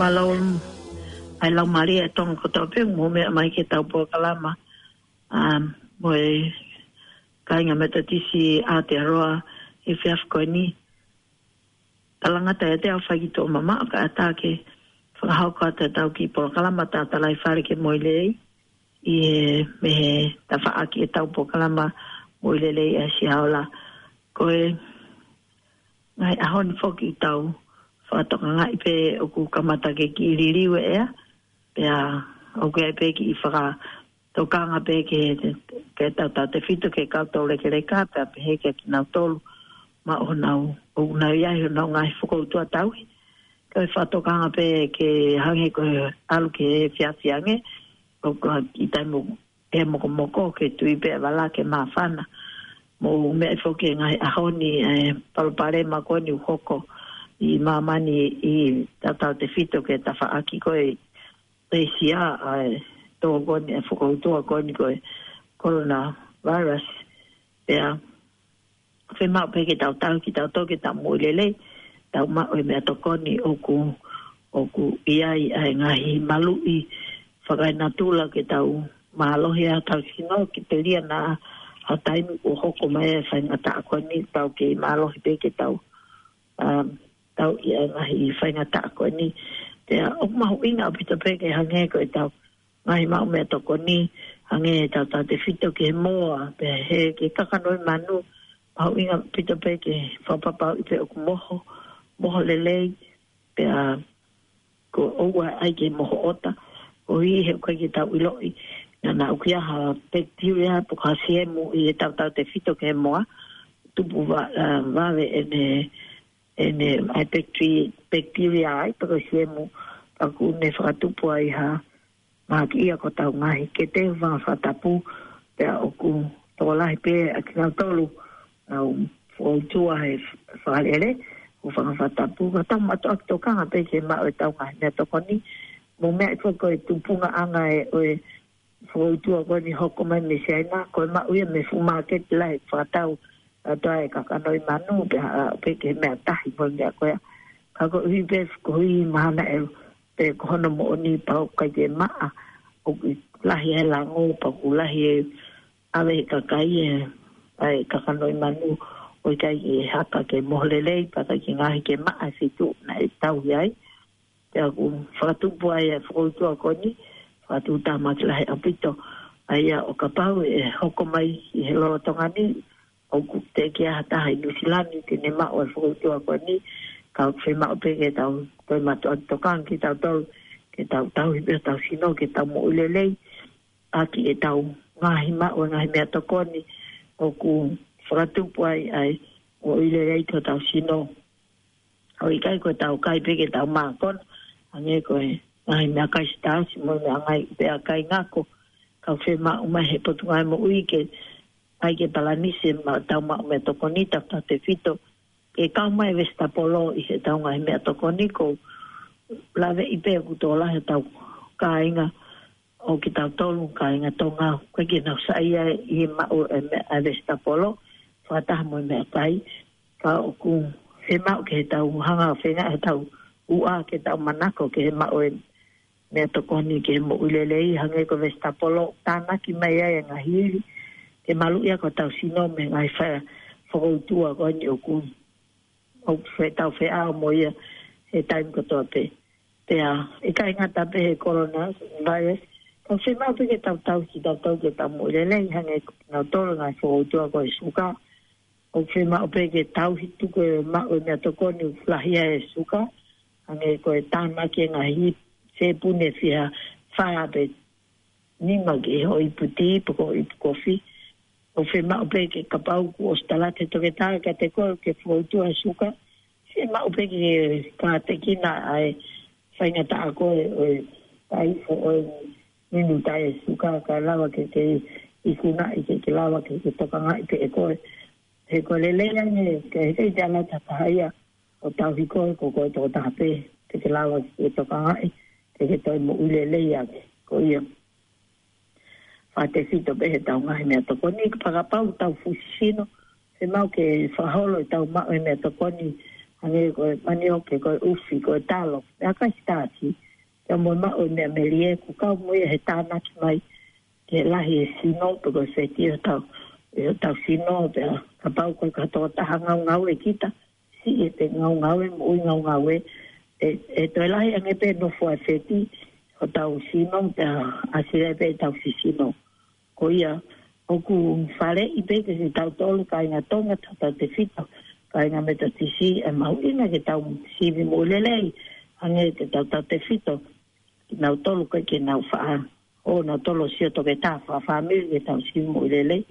Mālō, ʻa e Laumālie ʻo Tonga kotoa pē, mou meʻa mai ki heʻetau polokalama, um, mo e kāinga Metotisi ʻa Aotearoa he efiafi ko eni. Talangata ʻiate au fai ki tuʻa mamaʻo kae ʻatā ke fakahoko atu ʻetau kiʻi polokalama tatalaifale ke moʻui lelei ʻi he, mei he tafaʻaki ʻetau polokalama moʻui lelei ʻa e Siaola. Ko e ngaahi ʻaho ni foki ʻoku tau fakatokangaʻi pē ʻoku kamata ke kiʻi liliu e ʻea, pea ʻoku ʻi ai pē kiʻi fakatokanga pē ke, ke tautautefito ki he kau toulekeleka, pea pehē kia kinautolu maʻu honau, ʻoku nau ʻi ai honau ngaahi fokoutua tauhi. Ko e fakatokanga pē ke hangē ko e ʻalu ki he efiafi ange, ʻoku ʻi ai e taimi ʻe mokomoko ke tui pē ʻa e vala ke māfana. Mou meʻa foki he ngaahi ʻaho ni, e palopalema ko eni ʻoku hoko ʻi māmani ʻi tautautefito ki he tafaʻaki ko ē ʻĒsia, ʻa e tō ko eni, e fokoutua ko eni ko e coronavirus. Pea fiemaʻu pē ke tau tauhi kitautolu ke tau moʻui lelei, tau maʻu e meʻatokoni ʻoku, ʻoku ʻi ai ʻa e ngaahi maluʻi fakaenatula ke tau mālohi ai hotau sino, ke telia naʻa ha taimi kuo hoko mai e faingataʻa ko eni, tau kei mālohi pē ke tau, um, tau ʻi ai e ngaahi faingataʻa ko eni. Pea ʻoku mahuʻinga ʻaupito pē ke hangē ko ʻetau ngaahi maʻu meʻatokoni, hangē ʻetau tautefito ki he moa, pea hē ki he kakano ʻi manu, mahuʻinga ʻaupito pē ke fakapapauʻi pē ʻoku moho, moho lelei, pea ko ʻoua ʻai ke moho ʻota, koeʻuhi he ʻoku ʻikai ke tau ʻiloʻi, naʻa, naʻa ʻoku ʻi ai ha pekitelia pe ko ha siemu ʻi heʻetau tautefito ki he moa, tupu va-, ā, vave ʻene, ʻene, ʻa e pekiteri-, pekitelia ai, pe ko e siemu, pea ʻoku ne fakatupu ai ha mahakiʻia ki hotau ngaahi kete, hūfanga he fakatapu, pea ʻoku tokolahi pē ʻa kinautolu ʻoku nau fokoutua he fakalele, hūfanga he fakatapu, ka tau mātuʻaki tokanga pē ke maʻu ʻetau ngaahi meʻatokoni, mou meaʻi foki ko e tupuʻanga ē ʻo e fokoutua ko eni hoko mai mei Siaina, ko e maʻu ia mei he fuʻu māketi lahi fakatau, ʻa e tō ʻa e kakano ʻi manu, pea ʻalu pē ki he meʻatahi mo e meʻa ko ia. Ka koeʻuhi pē, koeʻuhi mahalo ʻe, pe ko hono moʻoni pau ʻikai ke maʻa, ʻoku lahi e lango, pea ʻoku lahi e ʻave ʻe he kakai e ʻa e kakano ʻi manu, ʻo ʻikai ke haka ke moho lelei, pea ʻikai ke ngaohi ke maʻa e feituʻu naʻe tauhi ai. Pea ʻoku fakatupu ai e fokoutua ko eni, fakatuʻutāmaki lahi ʻaupito. ʻA ia ʻo kapau ʻe hoko mai ʻi he lolotonga ni, ʻoku teʻeki ai ha taha ʻi Nuʻusila ni te ne maʻu e fokoutua ko eni, ka ʻoku fiemaʻu pē ke tau toe mātuʻaki tokanga kitautolu, ke tau tauhi pē hotau sino, ke tau moʻui lelei, ʻaki ʻetau ngaahi maʻu e ngaahi meʻatokoni ʻoku fakatupu ai ʻa e moʻui lelei ki hotau sino. ʻO ʻikai ko ʻetau kai pē ke tau mākona, hangē ko e ngaahi meʻakai sitaasi mo e meʻa ngaahi meʻakai ngako, ka ʻoku fiemaʻu mai he Potungāue Moʻui ke ʻai ke palanisi ʻetau maʻu meʻatokoni, tautautefito ke kau mai e vesitapolo ʻi heʻetau ngaahi meʻatokoni. ʻOku ou laveʻi pē ʻoku tokolahi ʻetau kāinga ʻo kitautolu, kāinga Tonga, ʻoku ʻikai ke nau saiʻia ʻi he maʻu e meʻa, e vesitapolo, fakataha mo e meʻakai. Ka ʻoku fiemaʻu ke tau hanga ʻo feinga ʻetau uʻa ke tau manako ke maʻu e meʻatokoni ke moʻui lelei, hangē ko e vesitapolo, tānaki mai ai e ngaahi ivi ke maluʻi ʻaki hotau sino mei he ngaahi fai fokoutua ko eni ʻoku, ʻoku fetau feʻao mo ia he taimi kotoa pē. Pea ʻikai ngata pē he coronavirus, ka ʻoku fiemaʻu pē ke tau tauhi kitautolu ke tau moʻui lelei, hangē ko kinautolu ngaahi fokoutua ko e suka. ʻOku fiemaʻu pē ke tauhi tuku e maʻu e meʻatokoni ʻoku lahi ai e suka, hangē ko e tānaki e ngaahi sēpuni ʻe fiha fā pe nima ki he hoʻo ipu tī pe ko e ipu kofi. ʻOku fiemaʻu pē ke kapau kuo ʻosi tala atu ʻe he toketā kiate koe ʻoku ke fokoutua e suka, fiemaʻu pē ke kātekina ʻa e faingataʻa ko ē ʻo e taifo ʻo e minuta e suka, ka lava ke ke ikunaʻi, ke ke lava ke ke tokangaʻi pē ʻe koe. He ko e lelei ange, ke he ʻikai te ala ʻe ha taha ia ʻo tauhi koe, ko koe tokotaha pē te ke lava ke ke tokangaʻi, ke ke toe moʻui lelei ange. Ko ia, fakatefito pē heʻetau ngaahi meʻatokoni, ka kapau ʻoku tau fusi sino, fiemaʻu ke fakaholo ʻetau maʻu e meʻatokoni, hangē ko e manioke, ko e ʻufi, ko e talo, meʻakai sitaasi, pea mo e maʻu e meʻa melie, ʻoku kau mo ia he tānaki mai ke lahi e sino, pe ko e feti ʻo hotau, ʻo hotau sino, pea kapau ko e ka tokotaha ngaungaue kita, siʻi e pē ngaungaue, moʻui ngaungaue, ʻe, ʻe toe lahi ange pē nofo ʻa e feti ʻo hotau sino, pea ʻasi leva pē ʻetau fifisino. Ko ia, ʻoku faleʻi pē kiate kitautolu kāinga Tonga, tautautefito kāinga Metotisi, e mahuʻinga ke tau sivi moʻui lelei, hangē ko e tautautefito kinautolu ʻoku ʻikai ke nau faʻa, ʻo nautolu ʻo sio toketā, fakafāmili ke tau sivi moʻui lelei.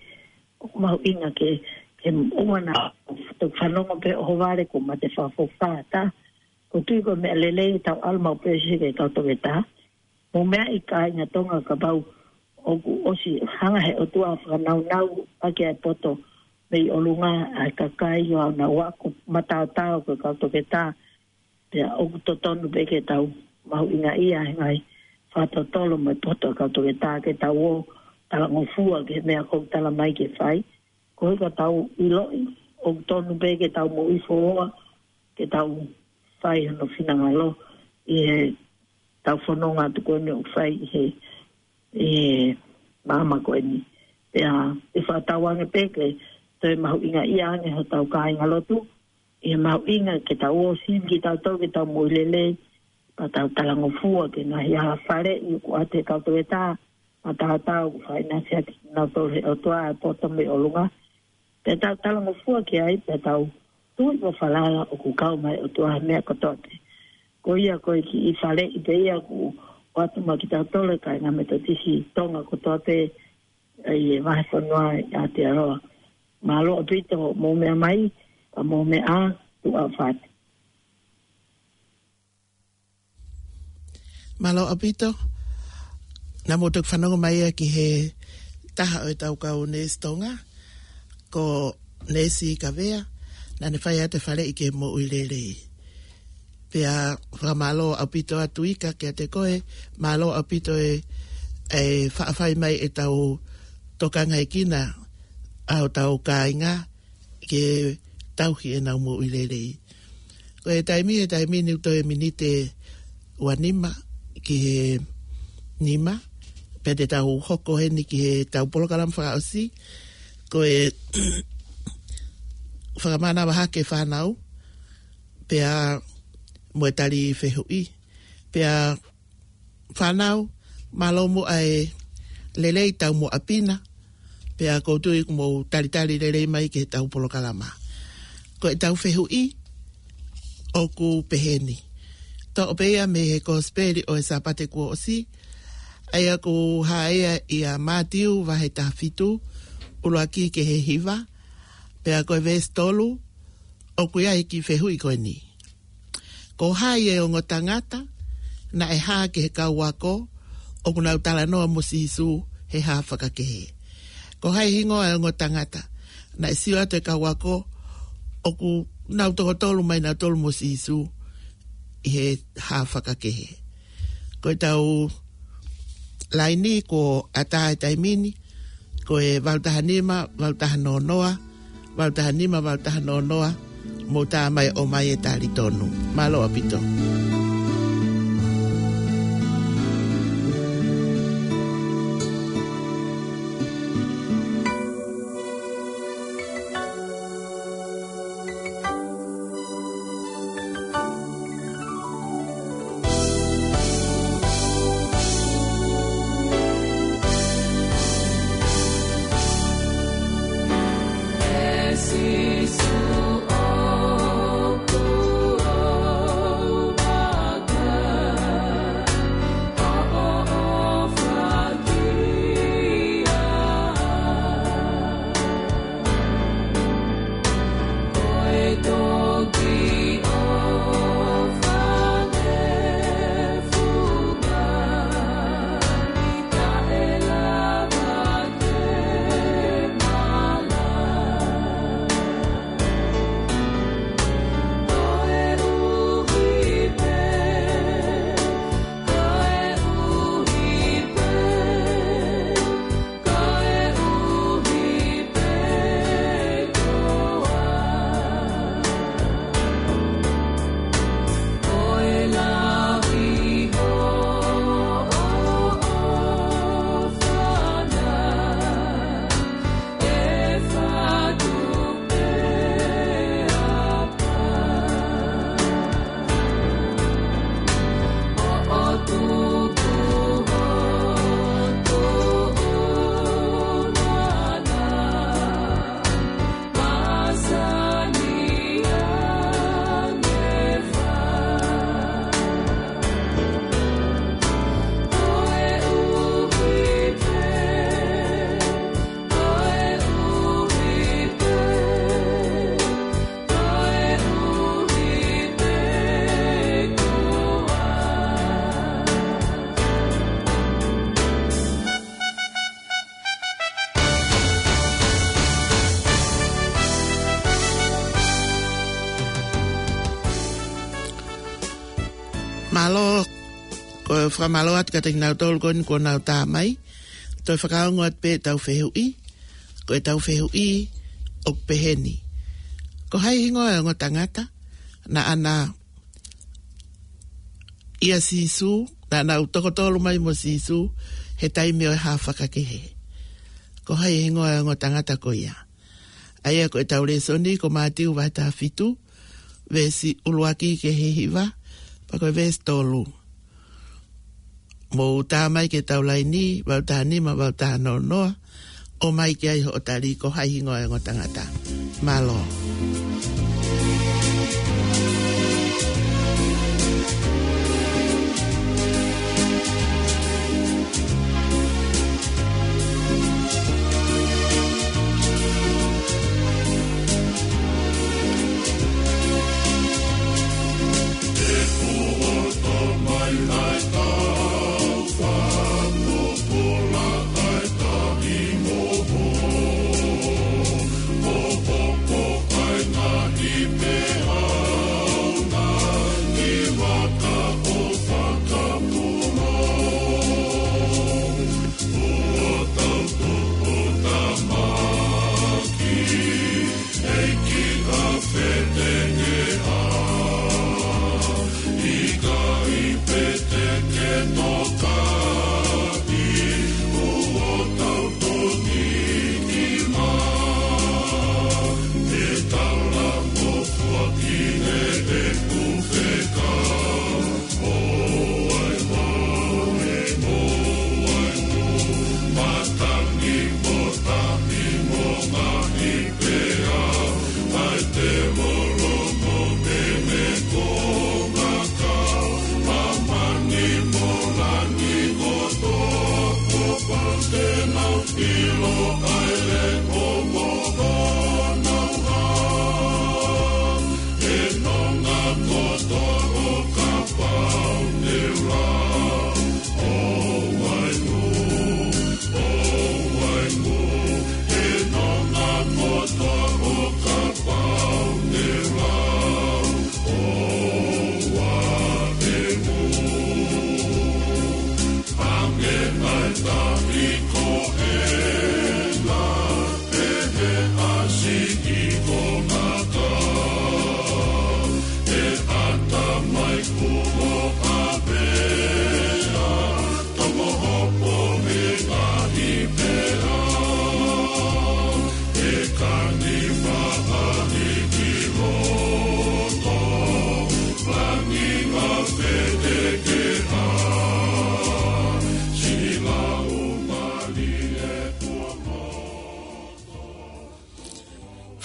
ʻOku mahuʻinga ke, ke ʻoua naʻa toki fanongo pē ʻohovale kuo mate fakafoki fā, tā. ʻOku ou tui ko e meʻa lelei ʻetau ʻalu maʻu pē ʻo sio ki he kau toketā. Mou meaʻi kāinga Tonga, kapau ʻoku ʻosi hanga he ʻOtua ʻo fakanaunau ʻaki ʻa e poto mei ʻolunga ʻa e kakai ʻo aʻu ʻo nau ako mataotao ko e kau toketā, pea ʻoku totonu pē ke tau mahuʻingaʻia he ngaahi fakatotolo mo e poto ʻa e kau toketā, ke tau ō talangofua ki he meʻa ʻoku tala mai ke fai. Koeʻuhi ka tau ʻiloʻi ʻoku tonu pē ke tau moʻui foʻou, ke tau fai hono finangalo ʻi heʻetau fononga atu ko eni ʻoku fai ʻi he, ʻi he māmani ko eni. Pea ʻe fakatauange pē ke toe mahuʻingaʻia ange hotau kāingalotu, ʻi he mahuʻinga ke tau ō sivi kitautolu ke tau moʻui lelei, pea tau talangofua ki he ngaahi hala faleʻi ʻoku ʻoatu ʻe he kau toketā mataotao, ʻoku fakaʻinasi ʻaki kinautolu ʻe he ʻOtua ʻa e poto mei ʻolunga. Pea tau talangofua ki ai, pea tau tui mo falala ʻoku kau mai e ʻOtua he meʻa kotoa pē. Ko ia ko e kiʻi faleʻi pē ia ʻoku ʻoatu maʻa kitautolu kāinga Metotisi Tonga kotoa pē ʻi he vahefonua ʻi Aotearoa. Mālō ʻaupito hoʻomou meʻa mai, ka mou meʻa ā, tuʻa ʻofa atu. Mālō ʻaupito. Naʻa mou toki fanongo mai ia ki he taha ʻo ʻetau kau neesi Tonga, ko Neesi Kavea, naʻa ne fai atu e faleʻi ki he moʻui lelei. Pea fakamālō ʻaupito atu Ika kiate koe, mālō ʻaupito e, e faʻa fai mai ʻetau tokangaekina ʻa hotau kāinga ke tauhi ʻenau moʻui lelei. Ko e taimi, e taimi ni ʻoku toe miniti ua nima ki he nima, pea te tau hoko heni ki heʻetau polokalama fakaʻosi, Ko e fakamanavahake fānau, pea mo e tali fehuʻi, pea fānau, mālō muʻa e lelei tau mo apina, pea kou tui kuo mou talitali lelei mai ki heʻetau polokalama. Ko ʻetau fehuʻi, ʻoku peheni. Toʻo pē ia mei he Kosipeli ʻo e Sāpate kuo ʻosi, ʻa ia ʻoku hā ia ʻia Mātiu vahe taha fitu, ʻuluaki ki he hiva, pea ko e veesi tolu, ʻoku ʻi ai e kiʻi fehuʻi ko eni. Ko hai e ongo tangata naʻe hā ki he kau ako ʻoku nau talanoa mo Sīsū he hā fakakehe? Ko hai hingoa e ongo tangata naʻe sio atu e kau ako ʻoku nau tokotolu mai nautolu mo Sīsū ʻi he hā fakakehe? Ko ʻetau laini kuo ʻatā e taimi ni, ko e valu taha nima, valu taha noa noa, valu taha nima, valu taha noa noa, mou tā mai ʻo ʻomai e tali tonu. Mālō ʻaupito. Mālō, ko e fakamālō atu kiate kinautolu ko eni kuo nau tā mai. Toe fakaongo atu pē ʻetau fehuʻi, ko ʻetau fehuʻi ʻoku peheni. Ko hai hingoa e ongo tangata naʻa na ʻia Sīsū, naʻa nau tokotolu mai mo Sīsū he taimi ʻo e hā fakakehe? Ko hai hingoa e ongo tangata ko ia? ʻA ia ko ʻetau lēsoni ko Mātiu vahe taha fitu, veesi ʻuluaki ki he hiva, pea ko e veesi tolu. Mou tā mai ki heʻetau laini, valu taha nima, valu taha noa noa, ʻomai ki ai hoʻo tali, ko hai hingoa e ongo tangata. Mālō.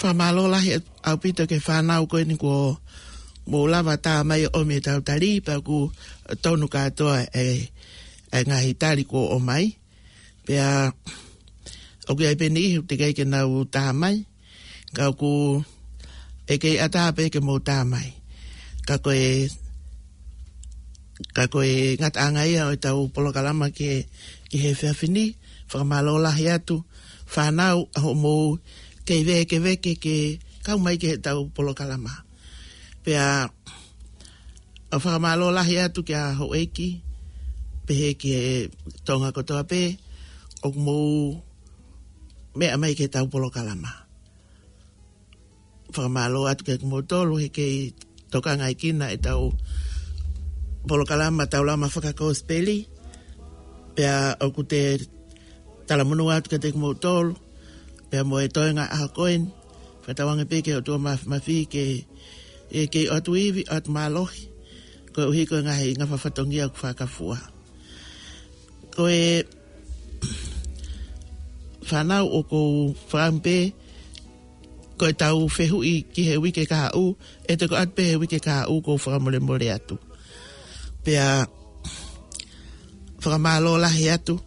Fakamālō lahi ʻaupito ki he fānau ko eni kuo mou lava tā mai ʻo ʻomi ʻetau tali, pea ʻoku tonu kātoa e, e ngaahi tali kuo ʻomai. Pea ʻoku ʻi ai pē niʻihi ʻoku teʻeki ai ke nau tā mai, ka ʻoku ʻikai ke ʻatā pē ke mou tā mai. Ka ko e, ka ko e ngataʻanga ia ʻo ʻetau polokalama ki he, ki he efiafi ni. Fakamālō lahi atu fānau ʻa hoʻomou kei vēkeveke ke kau mai ki heʻetau polokalama. Pea ʻoku fakamālō lahi atu kia houʻeiki, pehē ki he Tonga kotoa pē ʻoku mou meʻa mai ki heʻetau polokalama. Fakamālō atu kiate kimoutolu he kei tokangaʻi kinautolu ʻetau polokalama Taulama Fakakosipeli. Pea ʻoku te talamonū atu kiate kimoutolu, pea mo e toenga ʻaho ko eni, fakatauange pē ki he ʻOtua Māfimafi ke, ʻe kei ʻoatu ivi, ʻoatu mālohi, koeʻuhi ko e ngaahi ngafa fatongia ʻoku fakafua. Ko e fānau ʻoku ou fakaʻamu pē, ko ʻetau fehuʻi ki he uike kahaʻu, ʻe toki ʻoatu pē he uike kahaʻu, ʻoku ou fakamolemole atu. Pea fakamālō lahi atu,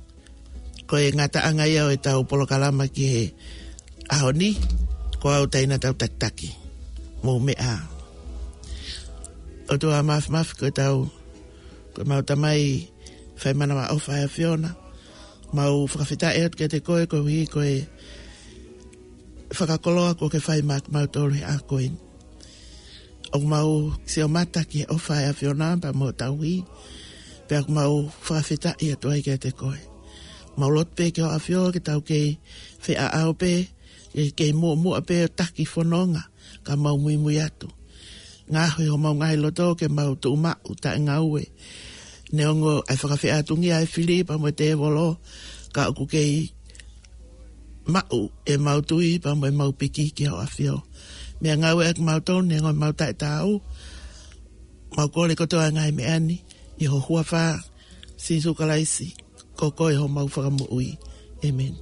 ko e ngataʻanga ia ʻo ʻetau polokalama ki he ʻaho ni, ko au Taina Tautakitaki. Mou meʻa ā. ʻOtua Māfimafi, ko ʻetau, ko ʻemau Tamai fai manavaʻofa ʻa e ʻAfiona, mau fakafetaʻi atu kiate koe koeʻuhi ko e fakakoloa kuo ke fai maʻa kimautolu he ʻaho ko eni. ʻOku mau sio mata ki he ʻofa ʻa e ʻAfiona pea mo e tauhi, pea ʻoku mau fakafetaʻi atu ai kiate koe. Mau lotu pē ki hoʻo ʻAfio ke tau kei feʻaʻau pē, ke kei muʻomuʻa pē ʻo taki fononga, ka mau muimui atu. Ngaohi homau ngaahi loto ke mau tuʻu maʻu taʻengaue. Neongo ʻa e fakafeʻātungia ʻa e fili pea mo e tēvolo, ka ʻoku kei maʻu ʻemau tui pea mo ʻemau piki ki hoʻo ʻAfio. Meʻa ngāue ʻaki kimautolu neongo ʻemau taʻetaau. Mau kole kotoa e ngaahi meʻa ni ʻi ho huafa, Sīsū Kalaisi, ko koe homau Fakamoʻui. ʻĒmeni.